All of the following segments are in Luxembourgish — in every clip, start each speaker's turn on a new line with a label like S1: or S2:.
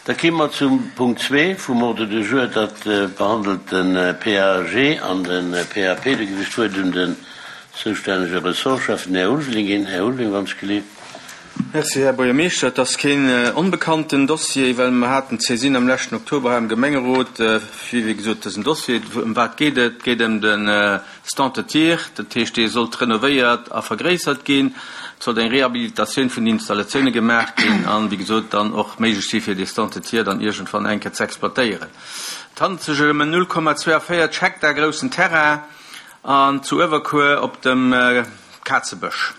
S1: Da ki mer zum Punkt zwee vum Ordre du jour. Dat behandelt de PAG an de PAP. Do ginn ech d'Wuert un den zoustännege Ressortchef, den Här Ulveling, ginn. Här Ulveling, wann ech gelift.
S2: Merci, Här Buergermeeschter. Et ass keen onbekannten Dossier, well mer haten d'Saisine am leschten Oktober hei am Gemengerot fir, wéi gesot, dësen Dossier. Ëm wat geet et? Et geet ëm de Stand de tir, dat heescht, dee sollt renovéiert a vergréissert ginn. Et sollt eng Rehabilitatioun vun den Installatioune gemaach ginn an, wéi gesot, dann och méiglech si fir dee Stand de tir dann iergendwann eng Kéier ze exploitéieren. Et handelt sech ëm en 0,42 Hektar groussen Terrain an zu Uewerkuer op dem Kazebësch.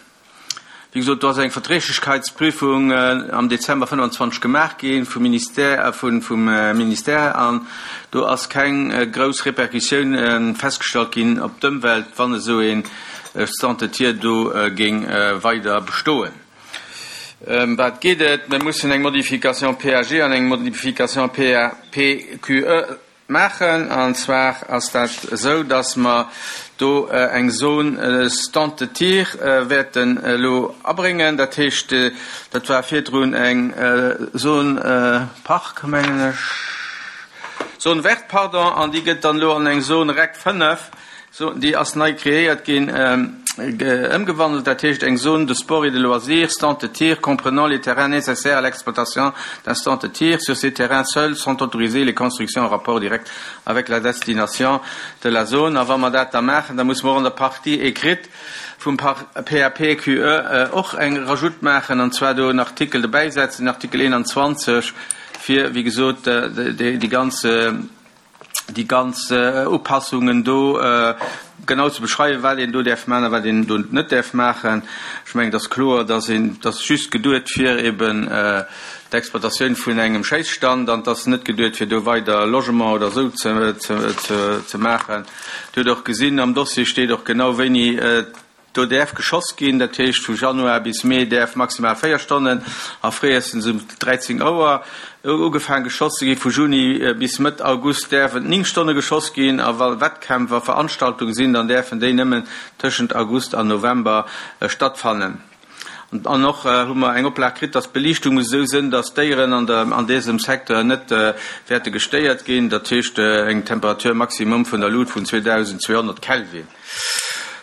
S2: Wéi gesot, do ass eng Verträglichkeitsprüfung am Dezember 25 gemaach gi vum Ministère, vum Ministère an do ass keng grouss Répercussioun festgestallt ginn op d'Ëmwelt, wann esou ee Stand de tir do géing weider bestoen. Ëm wat geet et? Mir mussen eng Modification PAG an eng Modification PAPQE Maachen. An zwar ass dat esou, dass mer do eng Zone stand de tir wäerten elo abréngen. Dat heescht, dat war virdrun eng Zone parc, mengen ech, Zone verte, pardon, an déi gëtt dann elo an eng Zone rec 5, Déi ass nei kreéiert ginn, ëmgewandelt, dat heescht eng Zone de sport et de loisirs, stand de tir comprenant les terrains nécessaires à l'exploitation d'un stand de tir. Sur ces terrains seuls sont autorisées les constructions en rapport direct avec la destination de la zone. A wa mer dat da maachen, da musse mer och an der Partie écrite vum PAPQE och eng Rajoute maachen, an zwar do en Artikel dobäisetzen, den Artikel 21, fir, wéi gesot, déi ganz, déi ganz Upassungen do genau ze beschreiwen, wat een do däerf maachen a wat een do net däerf maachen. Ech mengen, et ass kloer, dass een, et ass just geduet fir eben d'Exploitatioun vun engem Schéisstand an et ass net geduet fir do weider Logement oder esou ze maachen. Dir hutt och gesinn, am Dossier steet och genau wéini Do däerf geschoss ginn, dat heescht vu Januar bis Mee däerf maximal 4 Stonnen a fréiestens um 13 Auer ugefaang geschoss ze ginn. Vu Juni bis Mëtt August däerf et 9 Stonne geschoss ginn a wa Wettkämpf a Veranstaltunge sinn, dann däerfen déi nëmmen tëschent August an November stattfannen. An och hu mer eng Oplag kritt, dass d'Beliichtung muss esou sënn, dass d'Déieren an der an désem Secteur net wäerte gestéiert ginn, dat heescht eng Temperatur maximum vun der Lut vun 2200 Kelvin.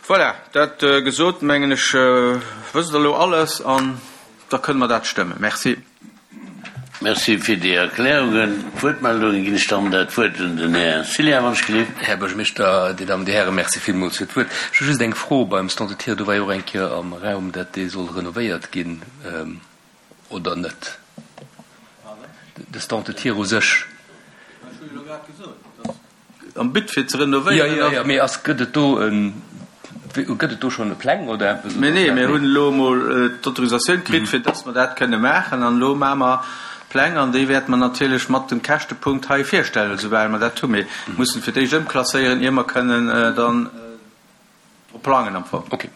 S2: Voilà, dat gesot, mengen ech, wësst Der elo alles an da kënne mer dat stëmmen. Merci.
S1: Merci fir déi Erklärungen. D'Wuertmeldungen ginn ech dann dat Wuert un den Här Cillien, wann ech gelift.
S3: Här Buergermeeschter, Dir Dammen, Dir Hären, Merci villmools fir d'Wuert. Ech hu just eng Fro beim Stand de tir. Do war jo och eng Kéier am Raum, dat dee soll renovéiert ginn. Oder net? De Stand de tir u sech.
S2: Ech hu jo elo grad gesot, dass am But fir ze renovéieren.
S3: Jo, jo, jo, mee ass, gëtt et do en, gëtt et do schonn Pläng oder eppes?
S2: Mee nee, mir hunn elo emol d'Autorisatioun kritt, fir dass mer dat kënne maachen. An elo maache mer d'Pläng an déi wäerte mer natierlech mat dem Käschtepunkt hei virstellen, esoubal mer dat hunn. Mir mussen fir d'éischt ëmklasséieren, ier mer kënnen dann drop plangen am Fong.
S3: Okay.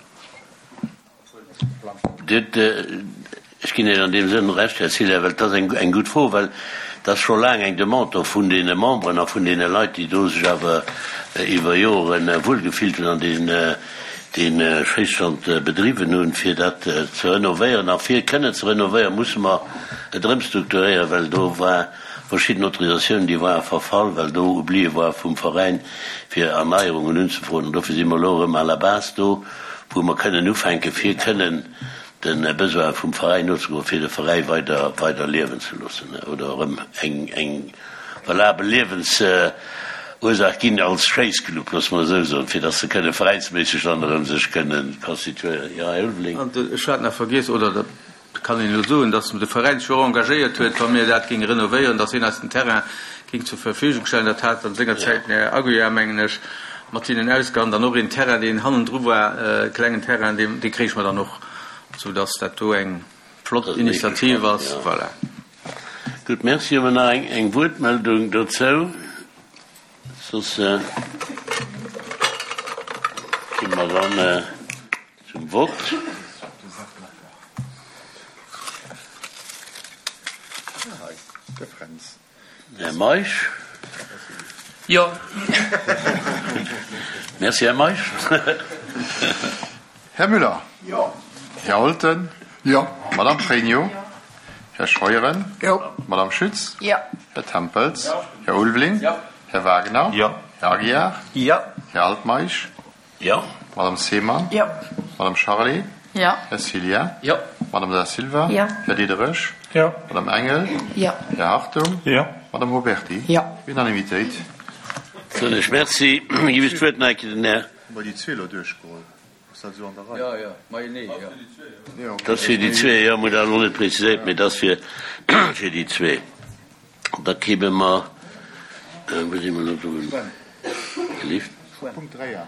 S1: Ech ginn Iech an deem Sënn Recht, Här Cillien, well et ass eng gutt Fro, well et ass scho laang eng Demande do vun deene Memberen a vun deene Leit, déi do sech awer iwwer Jore wuelgefillt hunn an dee Schéisstand bedriwwen hunn, fir dat ze renovéieren. A fir kënnen ze renovéieren, musse mer et erëmstrukturéieren, well do war verschidden Autorisatiounen, déi ware verfall, well do Oublie war vum Veräin, fir Erneierungen unzefroen. An dofir si mer elo erëm à la base do, wou mer kënnen ufänken, fir kënnen de Besoine vum Veräin nozegoen, fir de Veräi weider, weider liewen ze loossen oder erëm eng, eng valabel Liewensursaach ginn als Schéissclub, loosse mer esou soen, fir datt se kënne veräinsméisseg dann erëm sech kënnen constituéieren. Jo, Här Ulveling.
S2: An ech hat nach vergiess, oder dat kann een elo soen, datt de Veräin sech och engagéiert huet, wa mir dat géinge renovéieren, datt hien eis den Terrain géing zur Verfügung stellen. Dat hat an senger Zäit den Här Aguiar, mengen ech, mat hinnen ausgehandelt. An och een Terrain, deen hannendru war, e klengen Terrain, dee, dee kréich mer dann och, soudatt dat do eng flott Initiativ ass. Voilà.
S1: Gutt, Merci. Hu mer nach eng Wuertmeldung dozou? Soss gi mer dann zum Vott. Här Meisch.
S3: Jo.
S1: Merci, Här Meisch.
S4: Här Müller.
S5: Jo.
S4: Här Holten.
S5: Jo.
S4: Madame Pregno.
S5: Jo.
S4: Här Scheuren.
S5: Jo.
S4: Madame Schütz.
S5: Jo.
S4: Här Tempels. Här Ulveling.
S2: Jo.
S4: Här Wagner.
S1: Jo.
S4: Här Aguiar.
S2: Jo.
S4: Här Altmeisch.
S1: Jo.
S4: Madame Seemann.
S5: Jo.
S4: Madame Charlé.
S5: Jo.
S4: Här Cillien.
S3: Jo.
S4: Madame Da Silva.
S5: Jo.
S4: Här Diderich.
S6: Jo.
S4: Madame Engel.
S5: Jo.
S4: Här Hartung.
S6: Jo.
S4: Madame Huberty.
S5: Jo.
S4: Unanimitéit.
S1: Soen ech Merci. Ginn ech d'Wuert nach eng Kéier den Här.
S4: Hu mer déi zwee elo duerchgeholl? Ass dat esou an der Rei?
S2: Jo, jo, majenee, jo.
S1: Dat ass fir déi zwee, jo, mir hu dat elo net preziséiert, mee dat ass fir, fir déi zwee. Da kéime mer, wou si mer elo do? Gelift?
S4: Punkt 3 a.